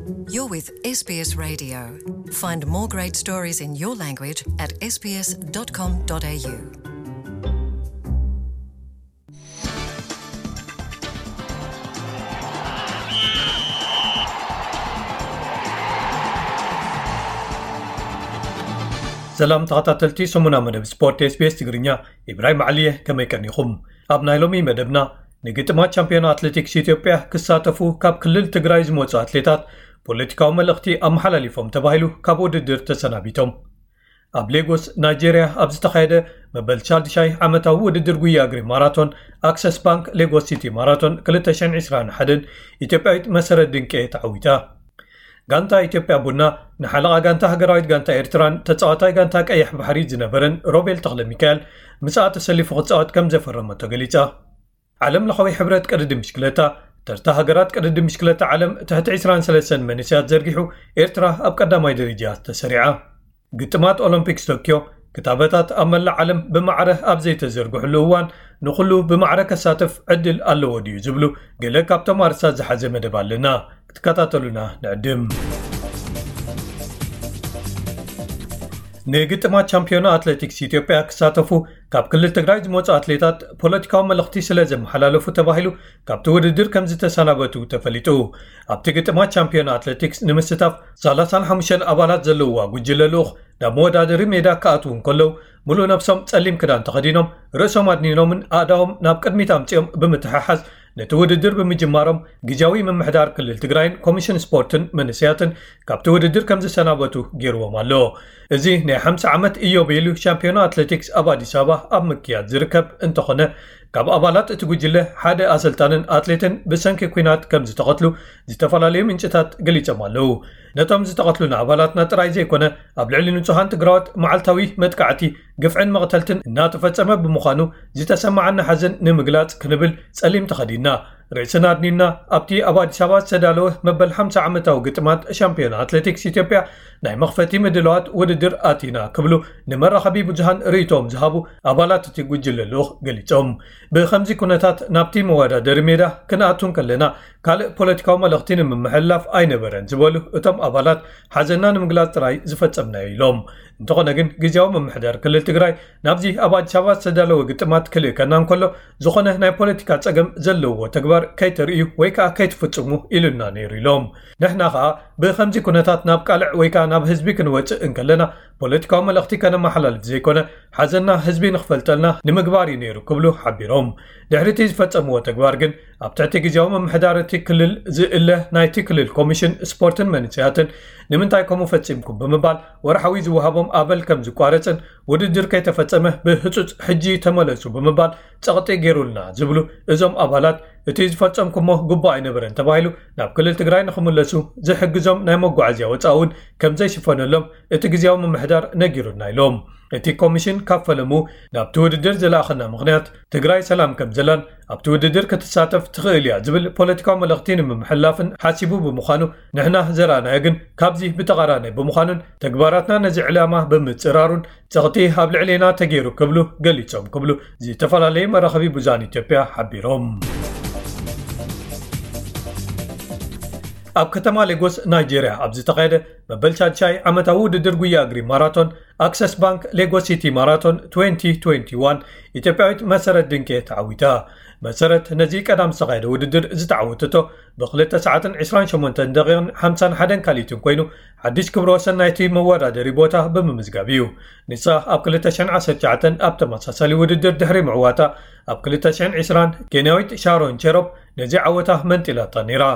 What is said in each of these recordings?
You're with S B S Radio. Find more great stories in your language at S B S dot com dot A U. ሰላም ተኸታተልቲ ሰሙና መደብ ስፖርት S B S ትግርኛ፣ ኢብራሂም ዓሊየ፣ ከመይ ቀኒኹም? ኣብ ናይ ሎሚ መደብና፣ ንግጥማት ቻምፒዮን ኣትሌቲክስ ኢትዮጵያ ክሳተፉ ካብ ክልል ትግራይ ዝመጹ ኣትሌታት ፖለቲካዊ መልእኽቲ ኣመሓላሊፎም ተባሂሉ ካብ ውድድር ተሰናቢቶም። ኣብ ሌጎስ ናይጄርያ ኣብ ዝተኻየደ መበል ሻድሻይ ዓመታዊ ውድድር ጉያ እግሪ ማራቶን፣ ኣክሰስ ባንክ ሌጎስ ሲቲ ማራቶን ክልተ ሽሕን ዕስራን ሓደን ኢትዮጵያዊት መሰረት ድንቄ ተዓዊታ። ጋንታ ኢትዮጵያ ቡና ንሓለቓ ጋንታ ሃገራዊት ጋንታ ኤርትራን ተጻዋታይ ጋንታ ቀይሕ ባሕሪ ዝነበረን ሮቤል ተኽለ ሚካኤል ምስኣ ተሰሊፉ ክጻወት ከም ዘፈረመቶ ገሊጻ። ዓለም ለኻዊ ሕብረት ቅድድም ብሽክለታ፣ ተርታ ሃገራት ቅድድም ብሽክለታ ዓለም ትሕቲ ዕስራን ሰለስተን መንእሰያት ዘርጊሑ፣ ኤርትራ ኣብ ቀዳማይ ደረጃ ተሰሪዓ። ግጥማት ኦሎምፒክስ ቶክዮ ክታበታት ኣብ መላእ ዓለም ብማዕረ ኣብ ዘይተዘርግሕሉ እዋን፣ ንኹሉ ብማዕረ ከሳትፍ ዕድል ኣለዎ ድዩ ዝብሉ ገለ ካብቶም ኣርእስታት ዝሓዘ መደብ ኣለና። ክትከታተሉና ንዕድም። ንግጥማት ቻምፒዮና ኣትሌቲክስ ኢትዮጵያ ክሳተፉ ካብ ክልል ትግራይ ዝመጹ ኣትሌታት ፖለቲካዊ መልእኽቲ ስለ ዘመሓላለፉ ተባሂሉ ካብቲ ውድድር ከም ዝተሰናበቱ ተፈሊጡ። ኣብቲ ግጥማት ቻምፒዮና ኣትሌቲክስ ንምስታፍ ሰላሳን ሓሙሽተን ኣባላት ዘለውዋ ጉጅለ ልኡኽ ናብ መወዳደሪ ሜዳ ክኣትዉ እንከለዉ፣ ሙሉእ ነብሶም ጸሊም ክዳን ተኸዲኖም፣ ርእሶም ኣድኒኖምን ኣእዳዎም ናብ ቅድሚት ኣምጺኦም ብምትሕሓዝ ነቲ ውድድር ብምጅማሮም፣ ግዝያዊ ምምሕዳር ክልል ትግራይን ኮሚሽን ስፖርትን መንእሰያትን ካብቲ ውድድር ከም ዝሰናበቱ ገይርዎም ኣሎ። እዚ ናይ ሓምሳ ዓመት ኢዮቤልዩ ሻምፒዮና ኣትሌቲክስ ኣብ ኣዲስ ኣበባ ኣብ ምክያድ ዝርከብ እንተኾነ፣ ካብ ኣባላት እቲ ጉጅለ ሓደ ኣሰልጣንን ኣትሌትን ብሰንኪ ኲናት ከም ዝተቐትሉ ዝተፈላለዩ ምንጭታት ገሊጾም ኣለዉ። ነቶም ዝተቐትሉና ኣባላትና ጥራይ ዘይኮነ፣ ኣብ ልዕሊ ንጹሃን ትግራዎት መዓልታዊ መጥቃዕቲ፣ ግፍዕን መቕተልትን እናተፈጸመ ብምዃኑ፣ ዝተሰማዓና ሓዘን ንምግላጽ ክንብል ጸሊም ተኸዲንና፣ ርእስና ኣድኒና፣ ኣብቲ ኣብ ኣዲስ ኣበባ ዝተዳለወ መበል ሓምሳ ዓመታዊ ግጥማት ሻምፒዮና ኣትሌቲክስ ኢትዮጵያ ናይ መኽፈቲ ምድላዋት ውድድር ኣቲና ክብሉ ንመራኸቢ ብዙሃን ርእይቶኦም ዝሃቡ ኣባላት እቲ ጉጅለ ልኡኽ ገሊጾም። ብኸምዚ ኩነታት ናብቲ መወዳደሪ ሜዳ ክንኣቱ እንከለና ካልእ ፖለቲካዊ መልእኽቲ ንምምሕልላፍ ኣይነበረን ዝበሉ እቶም ኣባላት፣ ሓዘንና ንምግላጽ ጥራይ ዝፈጸምናዮ ኢሎም። እንተኾነ ግን ግዝያዊ ምምሕዳር ክልል ትግራይ ናብዚ ኣብ ኣዲስ ኣበባ ዝተዳለወ ግጥማት ክልእከና እንከሎ፣ ዝኾነ ናይ ፖለቲካ ጸገም ዘለዎ ተግባር ከይተርእዩ ወይ ከኣ ከይትፍጽሙ ኢሉና ነይሩ ኢሎም። ንሕና ከኣ ብኸምዚ ኩነታት ናብ ቃልዕ ወይ ከኣ ናብ ህዝቢ ክንወጽእ እንከለና ፖለቲካዊ መልእኽቲ ከነመሓላልፍ ዘይኮነ፣ ሓዘንና ህዝቢ ንኽፈልጠልና ንምግባር እዩ ነይሩ ክብሉ ሓቢሮም። ድሕሪ እቲ ዝፈጸምዎ ተግባር ግን ኣብ ትሕቲ ግዝያዊ ምምሕዳር እቲ ክልል ዝእለ ናይቲ ክልል ኮሚሽን ስፖርትን መንእሰያትን ንምንታይ ከምኡ ፈጺምኩም ብምባል ወርሓዊ ዝወሃቦም ኣበል ከም ዝቋረጽን ውድድር ከይተፈጸመ ብህጹጽ ሕጂ ተመለሱ ብምባል ጸቕጢ ገይሩልና ዝብሉ እዞም ኣባላት፣ እቲ ዝፈጸምኩሞ ግቡእ ኣይነበረን ተባሂሉ ናብ ክልል ትግራይ ንኽምለሱ ዝሕግዞም ናይ መጓዓዝያ ወጻኢ እውን ከም ዘይሽፈነሎም እቲ ግዝያዊ ምምሕዳር ነጊሩና ኢሎም። እቲ ኮሚሽን ካብ ፈለሙ ናብቲ ውድድር ዝለኣኸና ምኽንያት ትግራይ ሰላም ከም ዘላን ኣብቲ ውድድር ክትሳተፍ ትኽእል እያ ዝብል ፖለቲካዊ መልእኽቲ ንምምሕላፍን ሓሲቡ ብምዃኑ ንሕና ዘረኣናዮ ግን ካብዚ ብተቓራኒ ብምዃኑን ተግባራትና ነዚ ዕላማ ብምጽራሩን ጸቕጢ ኣብ ልዕሌና ተገይሩ ክብሉ ገሊጾም ክብሉ ዝተፈላለዩ መራኸቢ ብዙሃን ኢትዮጵያ ሓቢሮም። ኣብ ከተማ ሌጎስ ናይጄርያ ኣብ ዝተኻየደ መበል ሻድሻይ ዓመታዊ ውድድር ጉያ እግሪ ማራቶን ኣክሰስ ባንክ ሌጎስ ሲቲ ማራቶን twenty twenty-one ኢትዮጵያዊት መሰረት ድንቄ ተዓዊታ። መሰረት ነዚ ቀዳም ዝተኻየደ ውድድር ዝተዓወተቶ ብክልተ ሰዓትን ዕስራን ሸሞንተን ደቂቕን ሓምሳን ሓደን ካልኢትን ኮይኑ ሓድሽ ክብረ ወሰን ናይቲ መወዳደሪ ቦታ ብምምዝጋብ እዩ። ንሳ ኣብ ክልተ ሽሕን ዓሰርተ ትሽዓተን ኣብ ተመሳሳሊ ውድድር ድሕሪ ምዕዋታ ኣብ ክልተ ሽሕን ዕስራን ኬንያዊት ሻሮን ቸሮፕ ነዚ ዓወታ መንጢላታ ነይራ።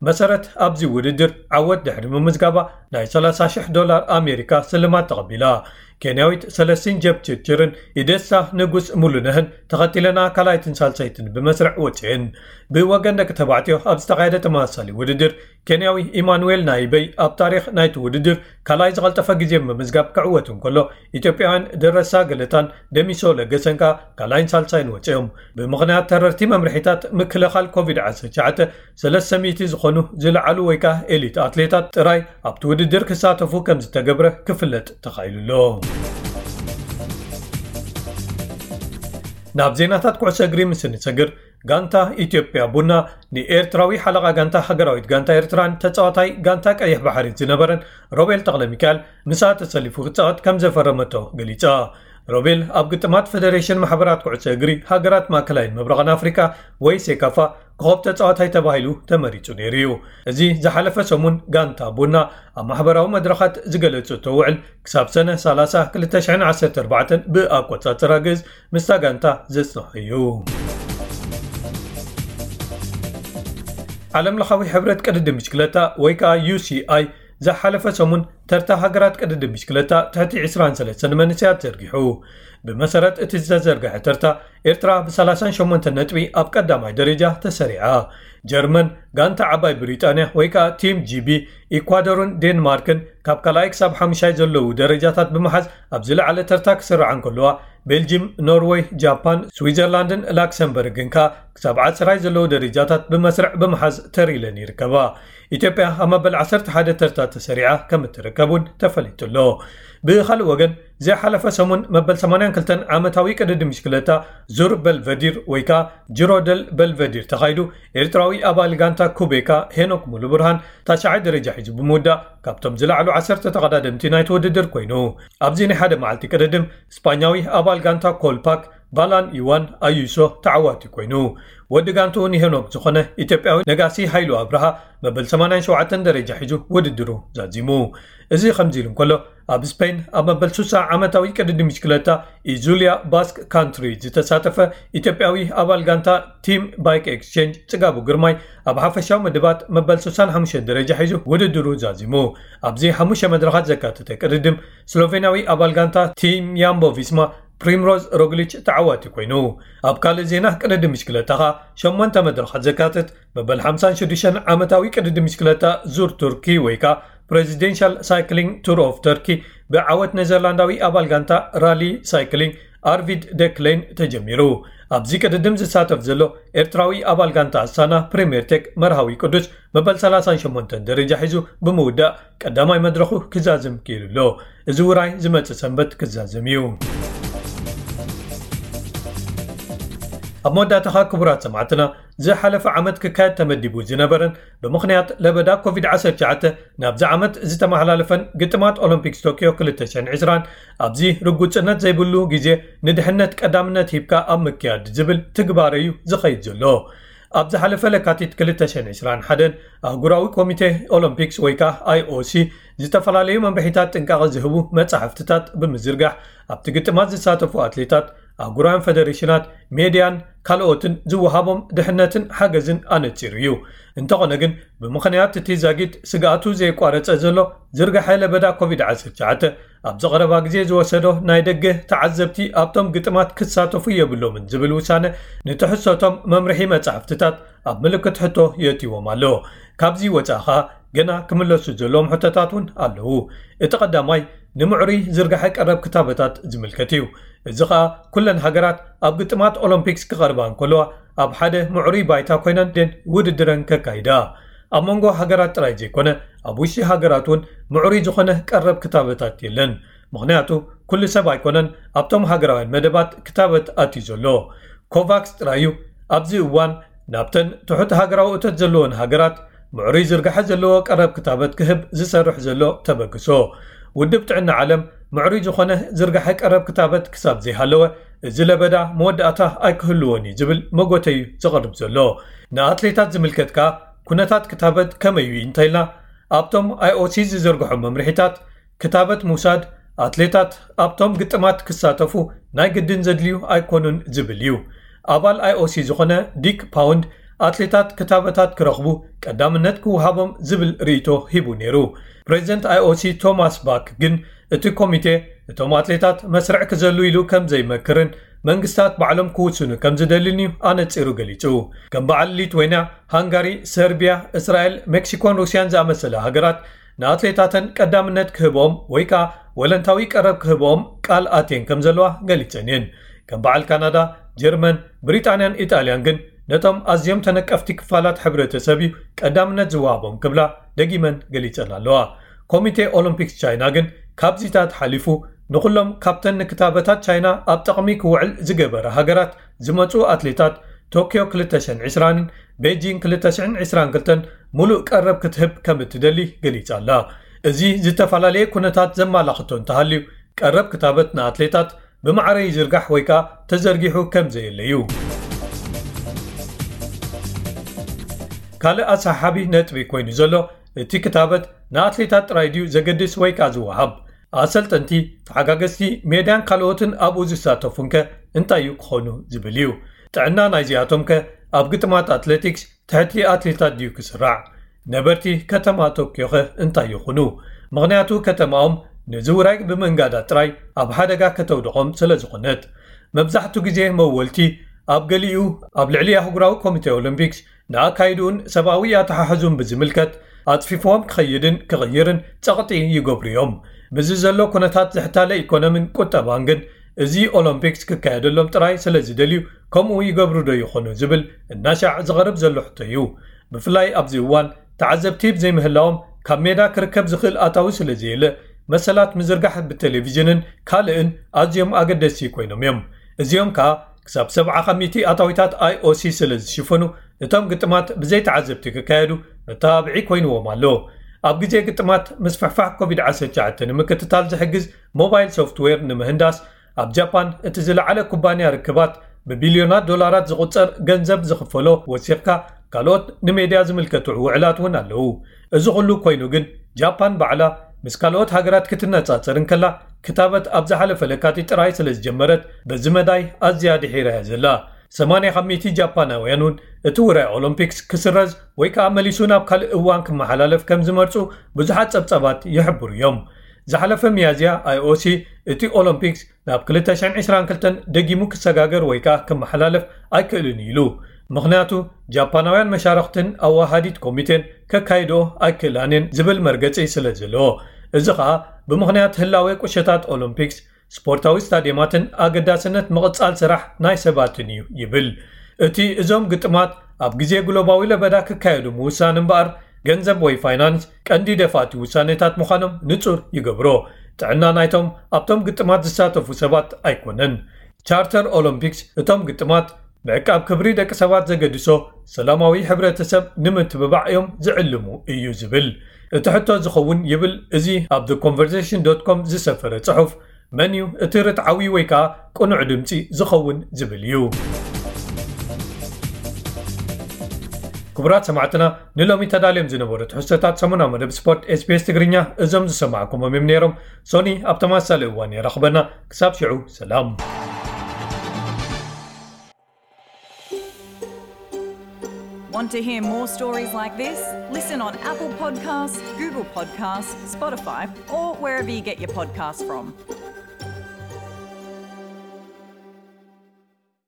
መሰረት ኣብዚ ውድድር ዓወት ድሕሪ ምምዝጋባ ናይ ሰላሳ ሽሕ ዶላር ኣሜሪካ ስልማት ተቐቢላ። ኬንያዊት ሰለስቲን ጀፕ ችርችርን ኢደሳ ንጉስ ሙሉነህን ተኸቲለና ካልኣይትን ሳልሳይትን ብመስርዕ ወፅየን። ብወገን ደቂ ተባዕትዮ ኣብ ዝተኻየደ ተመሳሳሊ ውድድር ኬንያዊ ኢማኑኤል ናይበይ ኣብ ታሪኽ ናይቲ ውድድር ካልኣይ ዝቐልጠፈ ግዜ ብምምዝጋብ ክዕወት እንከሎ፣ ኢትዮጵያውያን ደረሳ ገለታን ደሚሶ ለገሰን ከኣ ካልኣይን ሳልሳይን ወፅዮም። ብምኽንያት ተረርቲ መምርሒታት ምክልኻል ኮቪድ ዓሰርተ ትሽዓተ፣ ሰለስተ ሚእቲ ዝኾኑ ዝለዓሉ ወይ ከኣ ኤሊት ኣትሌታት ጥራይ ኣብቲ ውድድር ክሳተፉ ከም ዝተገብረ ክፍለጥ ተኻኢሉ ኣሎ። ናብ ዜናታት ኩዕሶ እግሪ ምስ እንሰግር፣ ጋንታ ኢትዮጵያ ቡና ንኤርትራዊ ሓለቓ ጋንታ ሃገራዊት ጋንታ ኤርትራን ተጻዋታይ ጋንታ ቀይሕ ባሕሪ ዝነበረን ሮቤል ተኽለሚካኤል ምስኣ ተሰሊፉ ክጻወት ከም ዘፈረመቶ ገሊጻ። ሮቤል ኣብ ግጥማት ፈደሬሽን ማሕበራት ኩዕሶ እግሪ ሃገራት ማእከላይን ምብራቕን ኣፍሪቃ ወይ ሴካፋ ኮኸብ ተጻዋታይ ተባሂሉ ተመሪጹ ነይሩ እዩ። እዚ ዝሓለፈ ሰሙን ጋንታ ቡና ኣብ ማሕበራዊ መድረኻት ዝገለጸቶ ውዕል ክሳብ ሰነ ሰላሳ ክልተ ሽሕን ዓሰርተ ኣርባዕተን ብኣቆጻጽራ ግእዝ ምስታ ጋንታ ዘጽንሖ እዩ። ዓለም ለኻዊ ሕብረት ቅድድም ብሽክለታ ወይ ከዓ ዩ ሲ ኣይ ዝሓለፈ ሰሙን ተርታ ሃገራት ቅድድም ብሽክለታ ትሕቲ ዕስራን ሰለስተን መንእሰያት ዘርጊሑ። ብመሰረት እቲ ዝተዘርግሐ ተርታ ኤርትራ ብ ሰላሳን ሸሞንተን ነጥቢ ኣብ ቀዳማይ ደረጃ ተሰሪዓ። ጀርመን፣ ጋንታ ዓባይ ብሪጣንያ ወይ ከዓ ቲም ጂ ቢ፣ ኢኳዶርን ዴንማርክን ካብ ካልኣይ ክሳብ ሓሙሻይ ዘለዉ ደረጃታት ብምሓዝ ኣብ ዝለዓለ ተርታ ክስርዓ እንከለዋ፣ ቤልጂም፣ ኖርወይ፣ ጃፓን፣ ስዊዘርላንድን ላክሰምበርግን ከኣ ክሳብ ዓስራይ ዘለዉ ደረጃታት ብመስርዕ ብምሓዝ ተር ኢለን ይርከባ። ኢትዮጵያ ኣብ መበል ዓሰርተ ሓደ ተርታ ተሰሪዓ ከም እትርከብ እውን ተፈሊጡ ኣሎ። ብኻልእ ወገን፣ ዝሓለፈ ሰሙን መበል ሰማንያን ክልተን ዓመታዊ ቅድድም ብሽክለታ ዙር በልቨዲር ወይ ከኣ ጅሮ ደል በልቨዲር ተኻይዱ፣ ኤርትራዊ ኣባል ጋንታ ኩቤካ ሄኖክ ሙሉ ብርሃን ታሽዓይ ደረጃ ሒዙ ብምውዳእ ካብቶም ዝለዓሉ ዓሰርተ ተቐዳደምቲ ናይቲ ውድድር ኮይኑ። ኣብዚ ናይ ሓደ መዓልቲ ቅድድም ስጳኛዊ ኣባል ጋንታ ኮልፓክ ቫላን ኢዋን ኣዩሶ ተዓዋቲ ኮይኑ። ወዲ ጋንትኡ ንሄኖክ ዝኾነ ኢትዮጵያዊ ነጋሲ ሃይሉ ኣብርሃ መበል ሰማንያን ሸውዓተን ደረጃ ሒዙ ውድድሩ ዛዚሙ። እዚ ከምዚ ኢሉ እንከሎ፣ ኣብ ስፔን ኣብ መበል ሱሳ ዓመታዊ ቅድድም ብሽክለታ ኢዙልያ ባስክ ካንትሪ ዝተሳተፈ ኢትዮጵያዊ ኣባል ጋንታ ቲም ባይክ ኤክስቼንጅ ጽጋቡ ግርማይ ኣብ ሓፈሻዊ ምድባት መበል ሱሳን ሓሙሽተን ደረጃ ሒዙ ውድድሩ ዛዚሙ። ኣብዚ ሓሙሽተ መድረኻት ዘካተተ ቅድድም ስሎቬንያዊ ኣባል ጋንታ ቲም ያምቦ ቪስማ ፕሪምሮዝ ሮግሊች ተዓዋቲ ኮይኑ። ኣብ ካልእ ዜና ቅድድም ብሽክለታ ኸኣ ሸሞንተ መድረኻት ዘካትት መበል ሓምሳን ሽዱሽተን ዓመታዊ ቅድድም ብሽክለታ ዙር ቱርኪ ወይ ከኣ ፕሬዚደንሻል ሳይክሊንግ ቱር ኦፍ ተርኪ ብዓወት ኔዘርላንዳዊ ኣባል ጋንታ ራሊ ሳይክሊንግ ኣርቪድ ደክሌን ተጀሚሩ። ኣብዚ ቅድድም ዝሳተፍ ዘሎ ኤርትራዊ ኣባል ጋንታ ኣስታና ፕሪምየር ቴክ መርሃዊ ቅዱስ መበል ሰላሳን ሸሞንተን ደረጃ ሒዙ ብምውዳእ ቀዳማይ መድረኹ ክዛዝም ክኢሉ ኣሎ። እዚ ውራይ ዝመጽእ ሰንበት ክዛዝም እዩ። ኣብ መወዳእታኻ ክቡራት ሰማዕትና፣ ዝሓለፈ ዓመት ክካየድ ተመዲቡ ዝነበረን ብምኽንያት ለበዳ ኮቪድ ዓሰርተ ትሽዓተ ናብዚ ዓመት ዝተመሓላለፈን ግጥማት ኦሎምፒክስ ቶኪዮ ክልተ ሽሕን ዕስራን ኣብዚ ርጉጽነት ዘይብሉ ግዜ ንድሕነት ቀዳምነት ሂብካ ኣብ ምክያድ ዝብል ትግባረ እዩ ዝኸይድ ዘሎ። ኣብ ዝሓለፈ ለካቲት ክልተ ሽሕን ዕስራን ሓደን ኣህጉራዊ ኮሚቴ ኦሎምፒክስ ወይ ከዓ ኣይ ኦ ሲ ዝተፈላለዩ መምርሒታት ጥንቃቐ ዝህቡ መጻሕፍትታት ብምዝርጋሕ ኣብቲ ግጥማት ዝሳተፉ ኣትሌታት፣ ኣህጉራውያን ፈደሬሽናት፣ ሜድያን ካልኦትን ዝወሃቦም ድሕነትን ሓገዝን ኣነጺሩ እዩ። እንተኾነ ግን ብምኽንያት እቲ ዛጊት ስግኣቱ ዘየቋረጸ ዘሎ ዝርግሐ ለበዳ ኮቪድ ዓሰርተ ትሽዓተ ኣብዚ ቀረባ ግዜ ዝወሰዶ ናይ ደገ ተዓዘብቲ ኣብቶም ግጥማት ክሳተፉ የብሎምን ዝብል ውሳነ ንትሕዝቶቶም መምርሒ መጻሕፍትታት ኣብ ምልክት ሕቶ የእትዎም ኣሎ። ካብዚ ወጻኢ ኸኣ ገና ክምለሱ ዘለዎም ሕቶታት እውን ኣለዉ። እቲ ቀዳማይ ንምዕሩይ ዝርግሐ ቀረብ ክታበታት ዝምልከት እዩ። እዚ ኸኣ ኩለን ሃገራት ኣብ ግጥማት ኦሎምፒክስ ክቐርባ እንከለዋ ኣብ ሓደ ምዕሩይ ባይታ ኮይነን ደን ውድድረን ከካይዳ። ኣብ መንጎ ሃገራት ጥራይ ዘይኮነ ኣብ ውሽጢ ሃገራት እውን ምዕሩይ ዝኾነ ቀረብ ክታበታት የለን። ምኽንያቱ ኩሉ ሰብ ኣይኮነን ኣብቶም ሃገራውያን መደባት ክታበት ኣትዩ ዘሎ። ኮቫክስ ጥራይ እዩ ኣብዚ እዋን ናብተን ትሑት ሃገራዊ እቶት ዘለወን ሃገራት ምዕሩይ ዝርግሐ ዘለዎ ቀረብ ክታበት ክህብ ዝሰርሕ ዘሎ ተበግሶ። ውድብ ጥዕና ዓለም ምዕሩይ ዝኾነ ዝርግሐ ቀረብ ክታበት ክሳብ ዘይሃለወ እዚ ለበዳ መወዳእታ ኣይክህልዎን እዩ ዝብል መጎተዩ ዘቕርብ ዘሎ። ንኣትሌታት ዝምልከት ከኣ ኩነታት ክታበት ከመይ እዩ እንተኢልና ኣብቶም ኣይ ኦ ሲ ዝዘርግሖም መምርሒታት ክታበት ምውሳድ ኣትሌታት ኣብቶም ግጥማት ክሳተፉ ናይ ግድን ዘድልዩ ኣይኮኑን ዝብል እዩ። ኣባል ኣይ ኦ ሲ ዝኾነ ዲክ ፓውንድ ኣትሌታት ክታበታት ክረኽቡ ቀዳምነት ክወሃቦም ዝብል ርእይቶ ሂቡ ነይሩ። ፕሬዚደንት ኣይ ኦ ሲ ቶማስ ባክ ግን እቲ ኮሚቴ እቶም ኣትሌታት መስርዕ ክዘሉ ኢሉ ከም ዘይመክርን መንግስታት ባዕሎም ክውስኑ ከም ዝደልን እዩ ኣነጺሩ ገሊጹ። ከም በዓል ሊትዌንያ፣ ሃንጋሪ፣ ሰርቢያ፣ እስራኤል፣ ሜክሲኮን ሩስያን ዝኣመሰለ ሃገራት ንኣትሌታተን ቀዳምነት ክህብኦም ወይ ከኣ ወለንታዊ ቀረብ ክህብኦም ቃል ኣትየን ከም ዘለዋ ገሊጸን እየን። ከም በዓል ካናዳ፣ ጀርመን፣ ብሪጣንያን ኢጣልያን ግን ነቶም ኣዝዮም ተነቀፍቲ ክፋላት ሕብረተሰብ እዩ ቀዳምነት ዝወሃቦም ክብላ ደጊመን ገሊጸን ኣለዋ። ኮሚቴ ኦሎምፒክስ ቻይና ግን ካብዚታት ሓሊፉ ንኹሎም ካብተን ንክታበታት ቻይና ኣብ ጥቕሚ ክውዕል ዝገበረ ሃገራት ዝመጹ ኣትሌታት ቶክዮ ክልተ ሽሕን ዕስራን ቤጂንግ ክልተ ሽሕን ዕስራን ክልተን ሙሉእ ቀረብ ክትህብ ከም እትደሊ ገሊጻ ኣላ። እዚ ዝተፈላለየ ኩነታት ዘማላኽቶ እንተሃልዩ፣ ቀረብ ክታበት ንኣትሌታት ብማዕረ ይዝርጋሕ ወይ ከኣ ተዘርጊሑ ከም ዘየለ እዩ። ካልእ ኣሰሓሓቢ ነጥቢ ኮይኑ ዘሎ፣ እቲ ክታበት ንኣትሌታት ጥራይ ድዩ ዘገድስ ወይ ከኣ ዝወሃብ? ኣሰልጠንቲ፣ ተሓጋገዝቲ ሜድያን ካልኦትን ኣብኡ ዝሳተፉንከ እንታይ እዩ ክኾኑ ዝብል እዩ። ጥዕና ናይዚኣቶምከ ኣብ ግጥማት ኣትሌቲክስ ትሕቲ ኣትሌታት ድዩ ክስራዕ? ነበርቲ ከተማ ቶክዮኸ እንታይ ይኹኑ? ምኽንያቱ ከተማኦም ንዚ ውራይ ብምእንጋዳ ጥራይ ኣብ ሓደጋ ከተውድቖም ስለ ዝኾነት። መብዛሕቱ ግዜ መወልቲ ኣብ ገሊኡ ኣብ ልዕሊ ኣህጉራዊ ኮሚቴ ኦሎምፒክስ ንኣካይድኡን ሰብኣዊ ኣተሓሕዙን ብዝምልከት ኣጽፊፍዎም ክኸይድን ክቕይርን ጸቕጢ ይገብሩ እዮም። ምስዚ ዘሎ ኩነታት ዝሕታለ ኢኮኖምን ቁጠባን ግን እዚ ኦሎምፒክስ ክካየደሎም ጥራይ ስለ ዝደልዩ ከምኡ ይገብሩ ዶ ይኾኑ ዝብል እናሻዕ ዝቐርብ ዘሎ ሕቶ እዩ። ብፍላይ ኣብዚ እዋን ተዓዘብቲ ብዘይምህላዎም ካብ ሜዳ ክርከብ ዝኽእል ኣታዊ ስለ ዘየለ መሰላት ምዝርጋሕ ብቴሌቪዥንን ካልእን ኣዝዮም ኣገደስቲ ኮይኖም እዮም። እዚኦም ከኣ ክሳብ ሰብዓ ካብ ሚእቲ ኣታዊታት ኣይኦሲ ስለ ዝሽፍኑ እቶም ግጥማት ብዘይ ተዓዘብቲ ክካየዱ መተባብዒ ኮይንዎም ኣሎ። ኣብ ግዜ ግጥማት ምስፍሕፋሕ ኮቪድ ዓሰርተ ትሽዓተ ንምክትታል ዝሕግዝ ሞባይል ሶፍትዌር ንምህንዳስ ኣብ ጃፓን እቲ ዝለዓለ ኩባንያ ርክባት ብቢልዮናት ዶላራት ዝቑጸር ገንዘብ ዝኽፈሎ ወሲኽካ ካልኦት ንሜድያ ዝምልከቱ ውዕላት እውን ኣለዉ። እዚ ኩሉ ኮይኑ ግን ጃፓን ባዕላ ምስ ካልኦት ሃገራት ክትነጻጸር እንከላ ክታበት ኣብ ዝሓለፈ ለካቲት ጥራይ ስለ ዝጀመረት በዚ መዳይ ኣዝያ ድሒራ እያ ዘላ። ሰማንያ ካብ ሚእቲ ጃፓናውያን እውን እቲ ውራይ ኦሎምፒክስ ክስረዝ ወይ ከኣ መሊሱ ናብ ካልእ እዋን ክመሓላለፍ ከም ዝመርጹ ብዙሓት ጸብጻባት ይሕብሩ እዮም። ዝሓለፈ ሚያዝያ ኣይኦሲ እቲ ኦሎምፒክስ ናብ ክልተ ሽሕን ዕስራን ክልተን ደጊሙ ክሰጋገር ወይ ከኣ ክመሓላለፍ ኣይክእልን ኢሉ። ምኽንያቱ ጃፓናውያን መሻርኽትን ኣዋሃዲት ኮሚቴን ከካይድኦ ኣይክእላን እየን ዝብል መርገጺ ስለ ዘለዎ። እዚ ከኣ ብምኽንያት ህላዌ ቁሸታት ኦሎምፒክስ ስፖርታዊ ስታድየማትን ኣገዳስነት ምቕጻል ስራሕ ናይ ሰባትን እዩ ይብል። እቲ እዞም ግጥማት ኣብ ግዜ ግሎባዊ ለበዳ ክካየዱ ምውሳን እምበኣር ገንዘብ ወይ ፋይናንስ ቀንዲ ደፋእቲ ውሳኔታት ምዃኖም ንጹር ይገብሮ። ጥዕና ናይቶም ኣብቶም ግጥማት ዝሳተፉ ሰባት ኣይኮነን። ቻርተር ኦሎምፒክስ እቶም ግጥማት ምዕቃብ ክብሪ ደቂ ሰባት ዘገድሶ ሰላማዊ ሕብረተሰብ ንምትብባዕ እዮም ዝዕልሙ እዩ ዝብል። እቲ ሕቶ ዝኸውን ይብል እዚ ኣብ the conversation dot com ዝሰፈረ ጽሑፍ፣ መን እዩ እቲ ርትዓዊ ወይ ከኣ ቅኑዕ ድምጺ ዝኸውን ዝብል እዩ። ክቡራት ሰማዕትና፣ ንሎሚ ተዳልዮም ዝነበሩ ትሕዝቶታት ሰሙናዊ መደብ ስፖርት ኤስቢኤስ ትግርኛ እዞም ዝሰማዕኩሞም እዮም ነይሮም። ሶኒ ኣብ ተመሳሳሊ እዋን የራኽበና። ክሳብ ሽዑ ሰላም። Want to hear more stories like this? Listen on Apple Podcasts, Google Podcasts, Spotify, or wherever you get your podcasts from.